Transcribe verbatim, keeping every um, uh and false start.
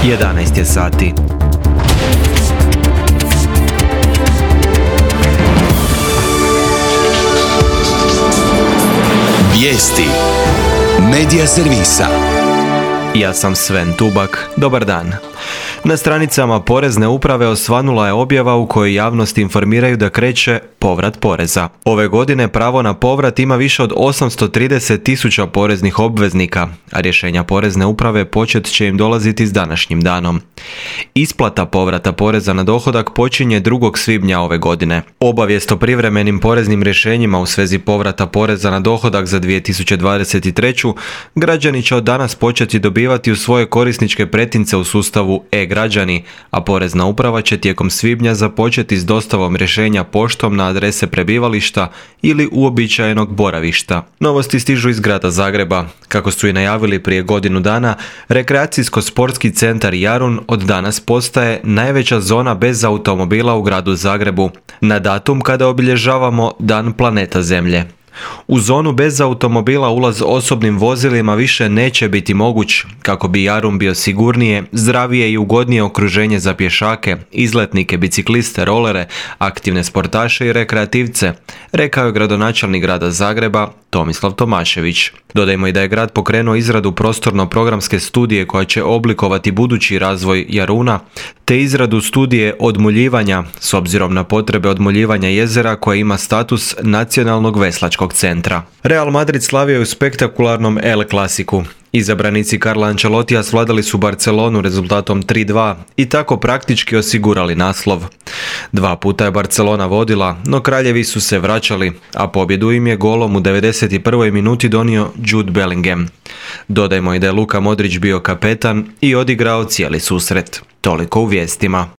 jedanaest je sati. Vijesti Medija servisa. Ja sam Sven Tubak. Dobar dan. Na stranicama Porezne uprave osvanula je objava u kojoj javnost informiraju da kreće povrat poreza. Ove godine pravo na povrat ima više od osamsto trideset tisuća poreznih obveznika, a rješenja Porezne uprave počet će im dolaziti s današnjim danom. Isplata povrata poreza na dohodak počinje drugog svibnja ove godine. Obavijest o privremenim poreznim rješenjima u svezi povrata poreza na dohodak za dvije tisuće dvadeset treću. građani će od danas početi dobivati u svoje korisničke pretince u sustavu e-građani, a Porezna uprava će tijekom svibnja započeti s dostavom rješenja poštom na adrese prebivališta ili uobičajenog boravišta. Novosti stižu iz grada Zagreba. Kako su i najavili prije godinu dana, rekreacijsko-sportski centar Jarun od danas postaje najveća zona bez automobila u gradu Zagrebu, na datum kada obilježavamo Dan planeta Zemlje. U zonu bez automobila ulaz osobnim vozilima više neće biti moguć, kako bi Jarun bio sigurnije, zdravije i ugodnije okruženje za pješake, izletnike, bicikliste, rolere, aktivne sportaše i rekreativce, rekao je gradonačelnik grada Zagreba Tomislav Tomašević. Dodajmo i da je grad pokrenuo izradu prostorno-programske studije koja će oblikovati budući razvoj Jaruna, te izradu studije odmuljivanja s obzirom na potrebe odmuljivanja jezera koje ima status nacionalnog veslačkog centra. Real Madrid slavio je u spektakularnom El Clasicu. Izabranici Carlo Ancelotija svladali su Barcelonu rezultatom tri dva i tako praktički osigurali naslov. Dva puta je Barcelona vodila, no kraljevi su se vraćali, a pobjedu im je golom u devedeset prvoj minuti donio Jude Bellingham. Dodajmo i da je Luka Modrić bio kapetan i odigrao cijeli susret. Toliko u vijestima.